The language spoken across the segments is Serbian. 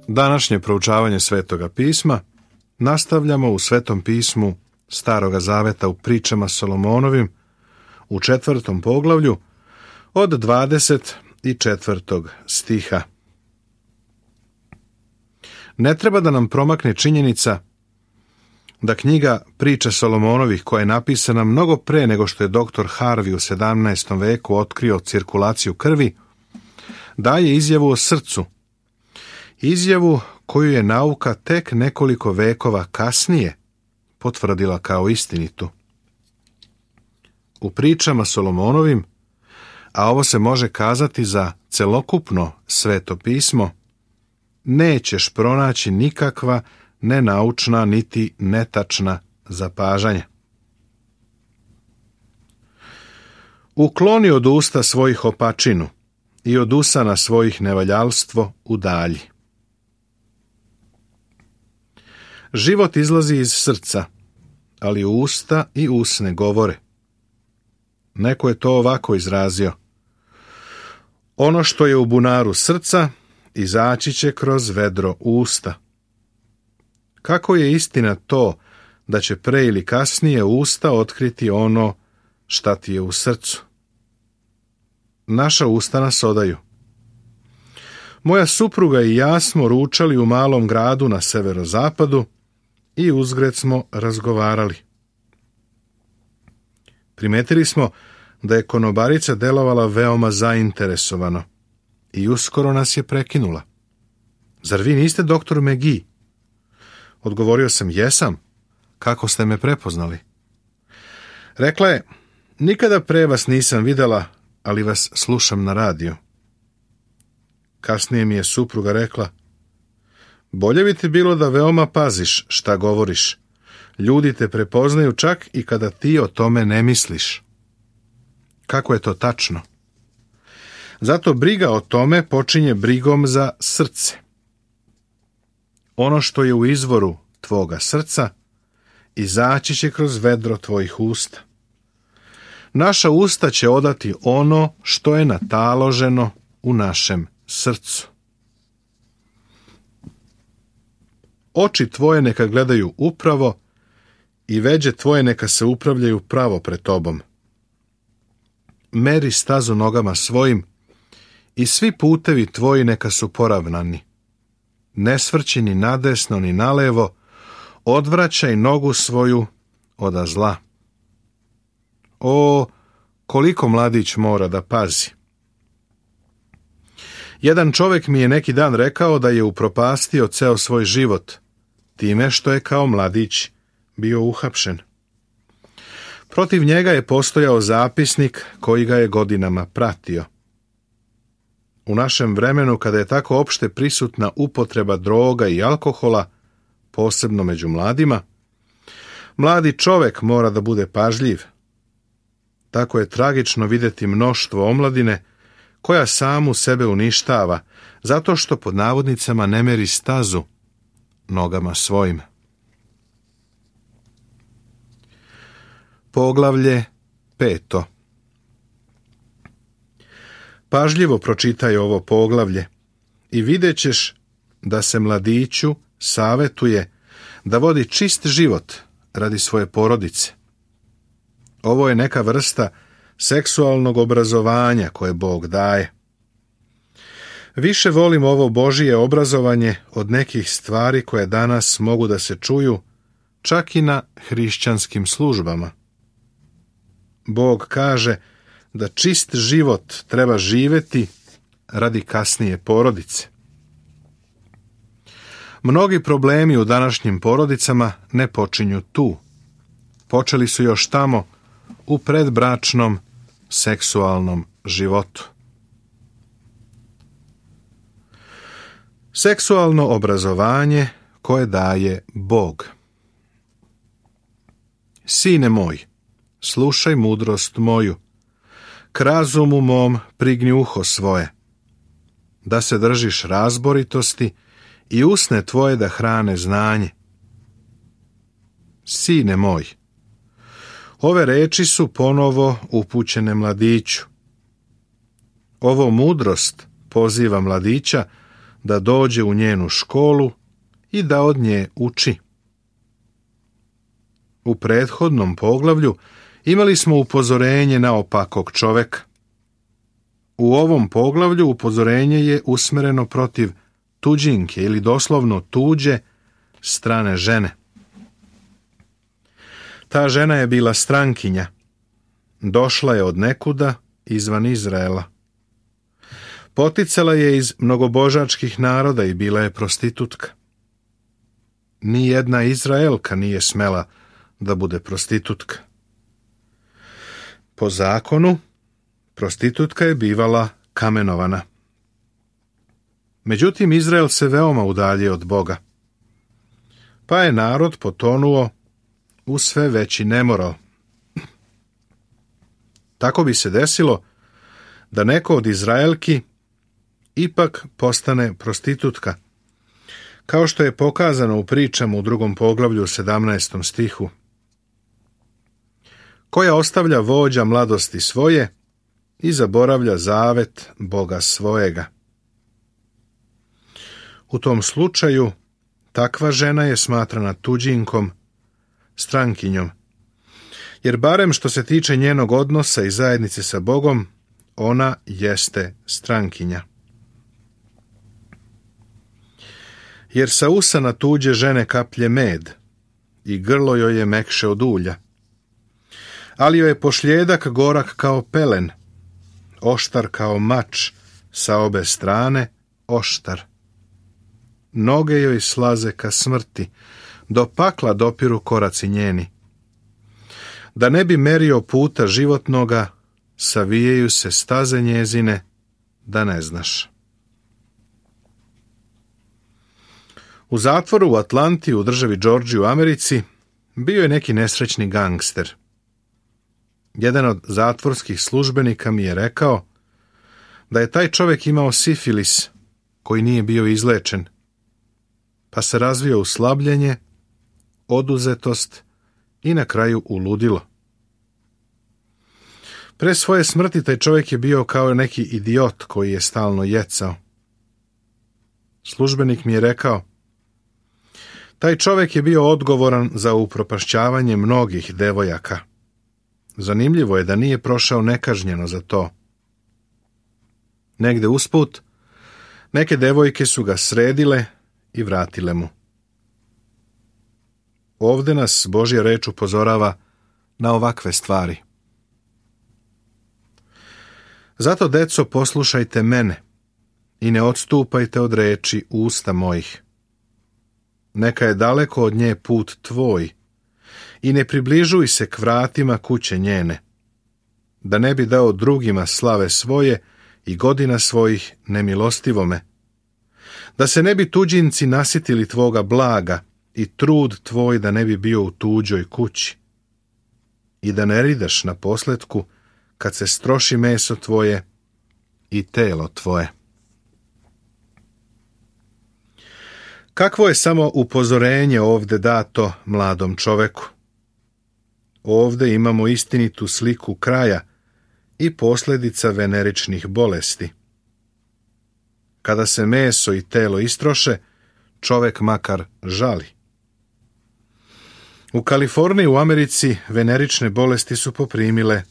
Današnje proučavanje Svetoga pisma nastavljamo u Svetom pismu Staroga zaveta u pričama Solomonovim u 4. poglavlju od 24. stiha. Ne treba da nam promakne činjenica da knjiga Priča Solomonovih, koja je napisana mnogo pre nego što je dr. Harvey u 17. veku otkrio cirkulaciju krvi, daje izjavu o srcu. Izjavu koju je nauka tek nekoliko vekova kasnije potvrdila kao istinitu. U pričama Solomonovim, a ovo se može kazati za celokupno Sveto pismo, nećeš pronaći nikakva nenaučna niti netačna zapažanja. Ukloni od usta svojih opačinu i od usana svojih nevaljalstvo udalji. Život izlazi iz srca, ali usta i usne govore. Neko je to ovako izrazio: ono što je u bunaru srca izaći će kroz vedro usta. Kako je istina to da će pre ili kasnije usta otkriti ono šta ti je u srcu? Naša usta nas odaju. Moja supruga i ja smo ručali u malom gradu na severozapadu i uzgred smo razgovarali. Primetili smo da je konobarica delovala veoma zainteresovano i uskoro nas je prekinula. Zar vi niste doktor McGee? Odgovorio sam: jesam. Kako ste me prepoznali? Rekla je: nikada pre vas nisam videla, ali vas slušam na radiju. Kasnije mi je supruga rekla: bolje bi ti bilo da veoma paziš šta govoriš. Ljudi te prepoznaju čak i kada ti o tome ne misliš. Kako je to tačno? Zato briga o tome počinje brigom za srce. Ono što je u izvoru tvoga srca izaći će kroz vedro tvojih usta. Naša usta će odati ono što je nataloženo u našem srcu. Oči tvoje neka gledaju upravo i veđe tvoje neka se upravljaju pravo pred tobom. Meri stazu nogama svojim i svi putevi tvoji neka su poravnani. Ne svrći ni nadesno ni nalevo, odvraćaj nogu svoju oda zla. O, koliko mladić mora da pazi. Jedan čovjek mi je neki dan rekao da je upropastio ceo svoj život time što je kao mladić bio uhapšen. Protiv njega je postojao zapisnik koji ga je godinama pratio. U našem vremenu, kada je tako opšte prisutna upotreba droga i alkohola, posebno među mladima, mladi čovjek mora da bude pažljiv. Tako je tragično vidjeti mnoštvo omladine koja samu sebe uništava, zato što pod navodnicama ne meri stazu nogama svojim. Poglavlje 5. Pažljivo pročitaj ovo poglavlje i vidjet ćeš da se mladiću savetuje da vodi čist život radi svoje porodice. Ovo je neka vrsta seksualnog obrazovanja koje Bog daje. Više volim ovo Božije obrazovanje od nekih stvari koje danas mogu da se čuju čak i na hrišćanskim službama. Bog kaže da čist život treba živjeti radi kasnije porodice. Mnogi problemi u današnjim porodicama ne počinju tu. Počeli su još tamo u predbračnom seksualnom životu. Seksualno obrazovanje koje daje Bog. Sine moj, slušaj mudrost moju, k razumu mom prigni uho svoje, da se držiš razboritosti i usne tvoje da hrane znanje. Sine moj, ove reči su ponovo upućene mladiću. Ovo mudrost poziva mladića da dođe u njenu školu i da od nje uči. U prethodnom poglavlju imali smo upozorenje na opakog čoveka. U ovom poglavlju upozorenje je usmereno protiv tuđinke ili doslovno tuđe strane žene. Ta žena je bila strankinja. Došla je od nekuda izvan Izraela. Poticala je iz mnogobožačkih naroda i bila je prostitutka. Nijedna Izraelka nije smela da bude prostitutka. Po zakonu, prostitutka je bivala kamenovana. Međutim, Izrael se veoma udaljio od Boga, pa je narod potonuo u sve veći nemoral. Tako bi se desilo da neko od Izraelki ipak postane prostitutka, kao što je pokazano u pričama u 2. poglavlju 17. stihu, koja ostavlja vođa mladosti svoje i zaboravlja zavet Boga svojega. U tom slučaju takva žena je smatrana tuđinkom, strankinjom, jer barem što se tiče njenog odnosa i zajednice sa Bogom, ona jeste strankinja. Jer sa usana tuđe žene kaplje med i grlo joj je mekše od ulja, ali joj je pošljedak gorak kao pelen, oštar kao mač, sa obe strane oštar. Noge joj slaze ka smrti, do pakla dopiru koraci njeni. Da ne bi merio puta životnoga, savijaju se staze njezine, da ne znaš. U zatvoru u Atlanti u državi Georgiji u Americi bio je neki nesrećni gangster. Jedan od zatvorskih službenika mi je rekao da je taj čovjek imao sifilis koji nije bio izlečen, pa se razvio u slabljenje, oduzetost i na kraju u ludilo. Pre svoje smrti taj čovjek je bio kao neki idiot koji je stalno jecao. Službenik mi je rekao, taj čovjek je bio odgovoran za upropašćavanje mnogih devojaka. Zanimljivo je da nije prošao nekažnjeno za to. Negde usput, neke devojke su ga sredile i vratile mu. Ovde nas Božja reč upozorava na ovakve stvari. Zato, deco, poslušajte mene i ne odstupajte od reči usta mojih. Neka je daleko od nje put tvoj i ne približuj se k vratima kuće njene, da ne bi dao drugima slave svoje i godina svojih nemilostivome, da se ne bi tuđinci nasitili tvoga blaga i trud tvoj da ne bi bio u tuđoj kući i da ne ridaš na posletku kad se stroši meso tvoje i telo tvoje. Kakvo je samo upozorenje ovde dato mladom čoveku? Ovde imamo istinitu sliku kraja i posljedica veneričnih bolesti. Kada se meso i telo istroše, čovek makar žali. U Kaliforniji u Americi venerične bolesti su poprimile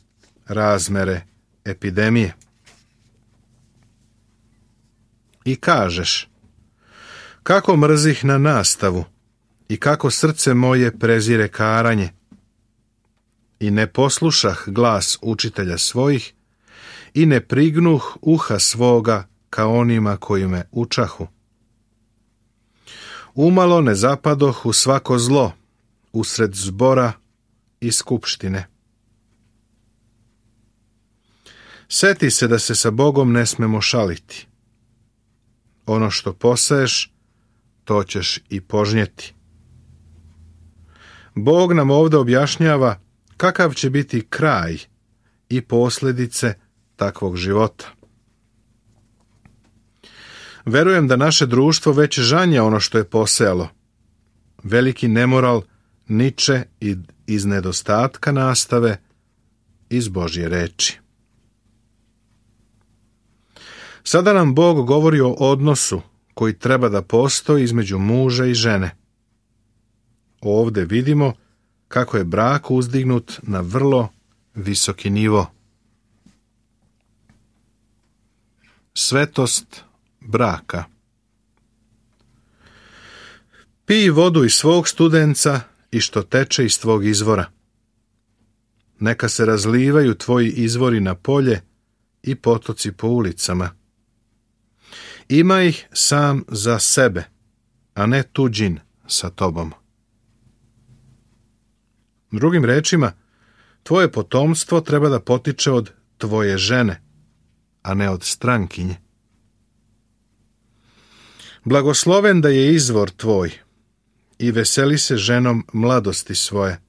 razmere epidemije. I kažeš, kako mrzih na nastavu i kako srce moje prezire karanje. I ne poslušah glas učitelja svojih i ne prignuh uha svoga ka onima koji me učahu. Umalo ne zapadoh u svako zlo, usred zbora i skupštine. Seti se da se sa Bogom ne smemo šaliti. Ono što poseješ, to ćeš i požnjeti. Bog nam ovdje objašnjava kakav će biti kraj i posljedice takvog života. Verujem da naše društvo već žanja ono što je posejalo. Veliki nemoral niče iz nedostatka nastave iz Božje reči. Sada nam Bog govori o odnosu koji treba da postoji između muža i žene. Ovde vidimo kako je brak uzdignut na vrlo visoki nivo. Svetost braka. Pij vodu iz svog studenca i što teče iz tvog izvora. Neka se razlivaju tvoji izvori na polje i potoci po ulicama. Ima ih sam za sebe, a ne tuđin sa tobom. Drugim rečima, tvoje potomstvo treba da potiče od tvoje žene, a ne od strankinje. Blagosloven da je izvor tvoj i veseli se ženom mladosti svoje.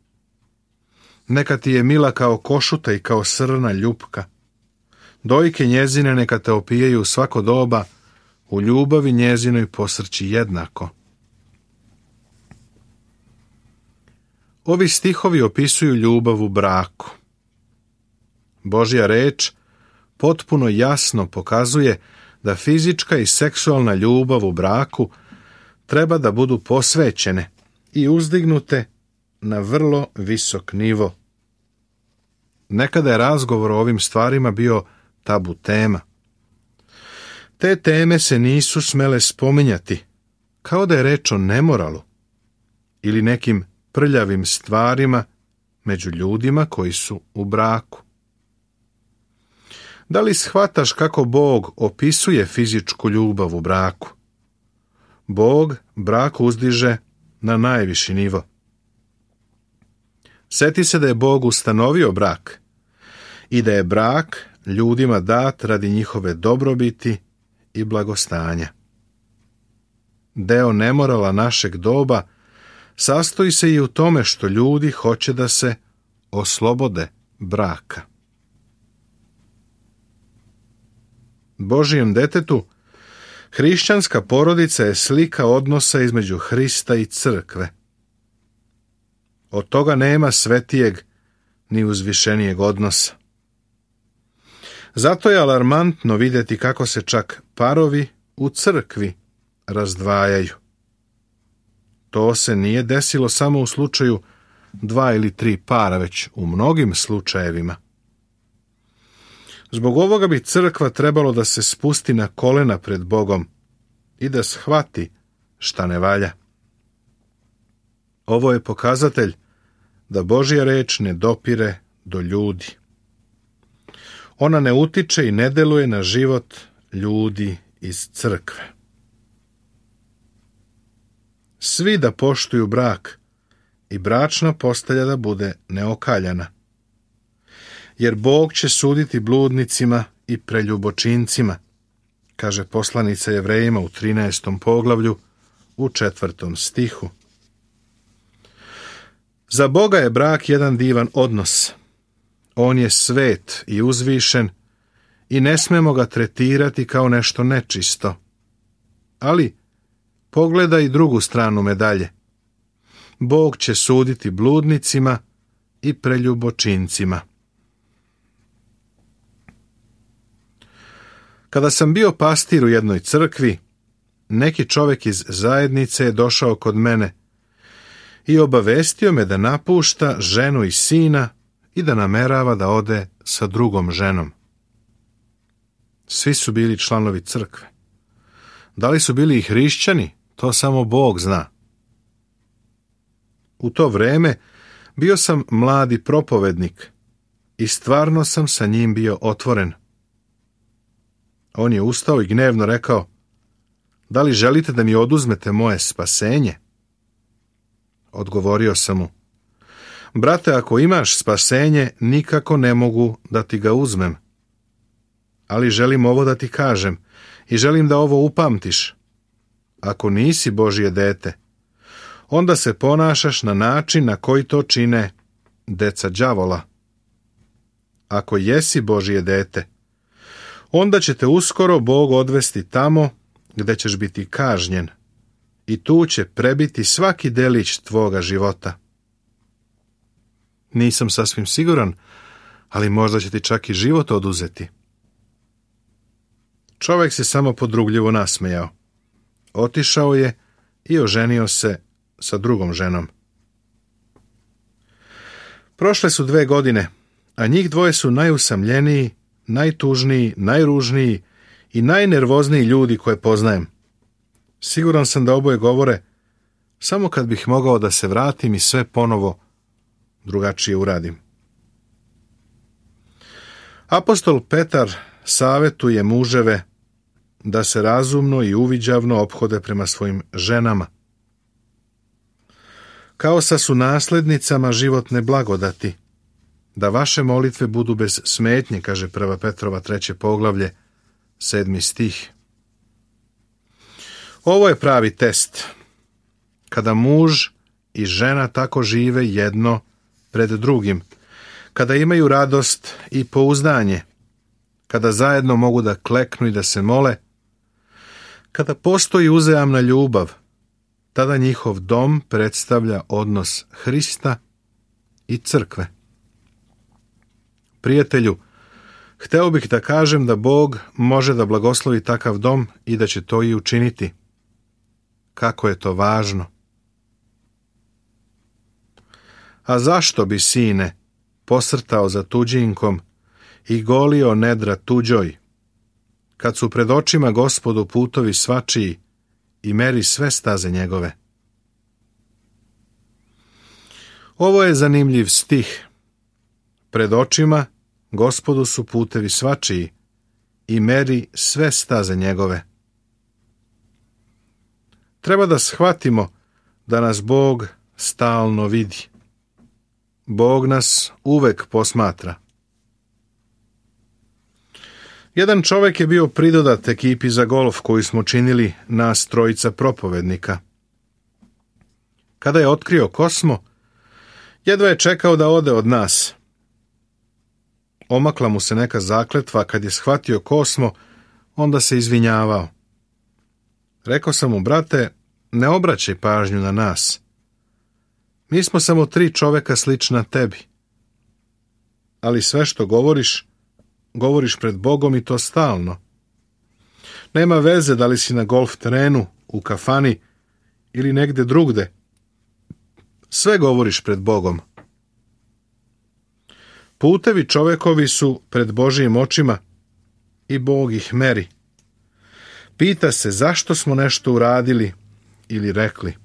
Neka ti je mila kao košuta i kao srna ljupka. Dojke njezine neka te opijaju svako doba, u ljubavi njezinoj posrći jednako. Ovi stihovi opisuju ljubav u braku. Božja reč potpuno jasno pokazuje da fizička i seksualna ljubav u braku treba da budu posvećene i uzdignute na vrlo visok nivo. Nekada je razgovor o ovim stvarima bio tabu tema. Te teme se nisu smele spominjati, kao da je reč o nemoralu ili nekim prljavim stvarima među ljudima koji su u braku. Da li shvataš kako Bog opisuje fizičku ljubav u braku? Bog brak uzdiže na najviši nivo. Sjeti se da je Bog ustanovio brak i da je brak ljudima dat radi njihove dobrobiti i blagostanja. Deo nemorala našeg doba sastoji se i u tome što ljudi hoće da se oslobode braka. Božijem detetu, hrišćanska porodica je slika odnosa između Hrista i crkve. Od toga nema svetijeg ni uzvišenijeg odnosa. Zato je alarmantno vidjeti kako se čak parovi u crkvi razdvajaju. To se nije desilo samo u slučaju 2 ili 3 para, već u mnogim slučajevima. Zbog ovoga bi crkva trebalo da se spusti na kolena pred Bogom i da shvati šta ne valja. Ovo je pokazatelj da Božja reč ne dopire do ljudi. Ona ne utiče i ne deluje na život ljudi iz crkve. Svi da poštuju brak i bračna postelja da bude neokaljana. Jer Bog će suditi bludnicima i preljubočincima, kaže poslanica Jevrejima u 13. poglavlju u 4. stihu. Za Boga je brak jedan divan odnos. On je svet i uzvišen i ne smemo ga tretirati kao nešto nečisto. Ali pogledaj drugu stranu medalje. Bog će suditi bludnicima i preljubočincima. Kada sam bio pastir u jednoj crkvi, neki čovjek iz zajednice je došao kod mene i obavestio me da napušta ženu i sina i da namerava da ode sa drugom ženom. Svi su bili članovi crkve. Da li su bili i hrišćani, to samo Bog zna. U to vreme bio sam mladi propovednik i stvarno sam sa njim bio otvoren. On je ustao i gnevno rekao: da li želite da mi oduzmete moje spasenje? Odgovorio sam mu: brate, ako imaš spasenje, nikako ne mogu da ti ga uzmem. Ali želim ovo da ti kažem i želim da ovo upamtiš. Ako nisi Božje dete, onda se ponašaš na način na koji to čine deca đavola. Ako jesi Božje dete, onda će te uskoro Bog odvesti tamo gde ćeš biti kažnjen i tu će prebiti svaki delić tvoga života. Nisam sasvim siguran, ali možda će ti čak i život oduzeti. Čovjek se samo podrugljivo nasmejao. otišao je i oženio se sa drugom ženom. Prošle su 2 godine, a njih dvoje su najusamljeniji, najtužniji, najružniji i najnervozniji ljudi koje poznajem. Siguran sam da oboje govore, samo kad bih mogao da se vratim i sve ponovo drugačije uradim. Apostol Petar savetuje muževe da se razumno i uviđavno ophode prema svojim ženama, kao sa su naslednicama životne blagodati, da vaše molitve budu bez smetnje, kaže 1. Petrova 3. poglavlje, 7. stih. Ovo je pravi test, kada muž i žena tako žive jedno pred drugim, kada imaju radost i pouzdanje, kada zajedno mogu da kleknu i da se mole, kada postoji uzajamna ljubav, tada njihov dom predstavlja odnos Hrista i crkve. Prijatelju, hteo bih da kažem da Bog može da blagoslovi takav dom i da će to i učiniti. Kako je to važno! A zašto bi, sine, posrtao za tuđinkom i golio nedra tuđoj, kad su pred očima Gospodu putovi svačiji i meri sve staze njegove? Ovo je zanimljiv stih. Pred očima Gospodu su putevi svačiji i meri sve staze njegove. Treba da shvatimo da nas Bog stalno vidi. Bog nas uvek posmatra. Jedan čovek je bio pridodat ekipi za golf koju smo činili nas 3 propovednika. Kada je otkrio ko smo, jedva je čekao da ode od nas. Omakla mu se neka zakletva, kad je shvatio ko smo, onda se izvinjavao. Rekao sam mu, brate, ne obraćaj pažnju na nas. Mi smo samo 3 čoveka slična tebi. Ali sve što govoriš, govoriš pred Bogom i to stalno. Nema veze da li si na golf terenu, u kafani ili negde drugde. Sve govoriš pred Bogom. Putevi čovekovi su pred Božijim očima i Bog ih meri. Pita se zašto smo nešto uradili ili rekli.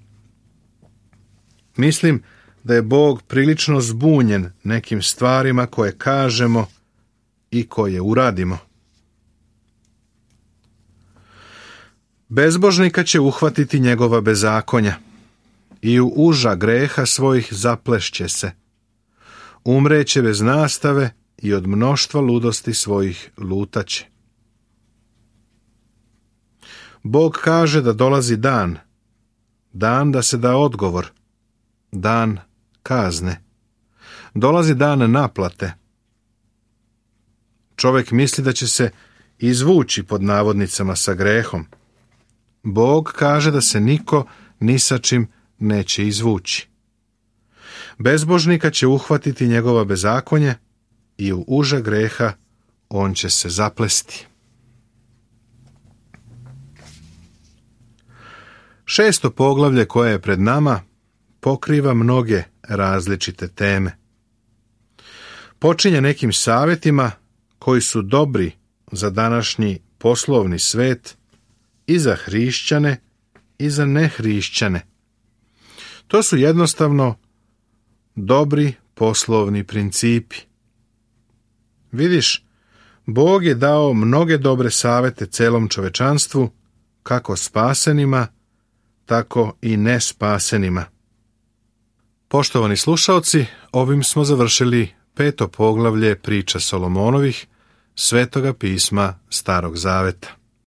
Mislim da je Bog prilično zbunjen nekim stvarima koje kažemo i koje uradimo. Bezbožnika će uhvatiti njegova bezakonja i u uža greha svojih zaplešće se. Umreće bez nastave i od mnoštva ludosti svojih lutaće. Bog kaže da dolazi dan, dan da se da odgovor, dan kazne. Dolazi dan naplate. Čovjek misli da će se izvući pod navodnicama sa grehom. Bog kaže da se niko ni sa čim neće izvući. Bezbožnika će uhvatiti njegova bezakonje i u uža greha on će se zaplesti. 6. poglavlje koje je pred nama pokriva mnoge različite teme. Počinje nekim savjetima koji su dobri za današnji poslovni svet i za hrišćane i za nehrišćane. To su jednostavno dobri poslovni principi. Vidiš, Bog je dao mnoge dobre savjete celom čovečanstvu, kako spasenima, tako i nespasenima. Poštovani slušaoci, ovim smo završili 5. poglavlje priča Solomonovih, Svetoga pisma Starog zaveta.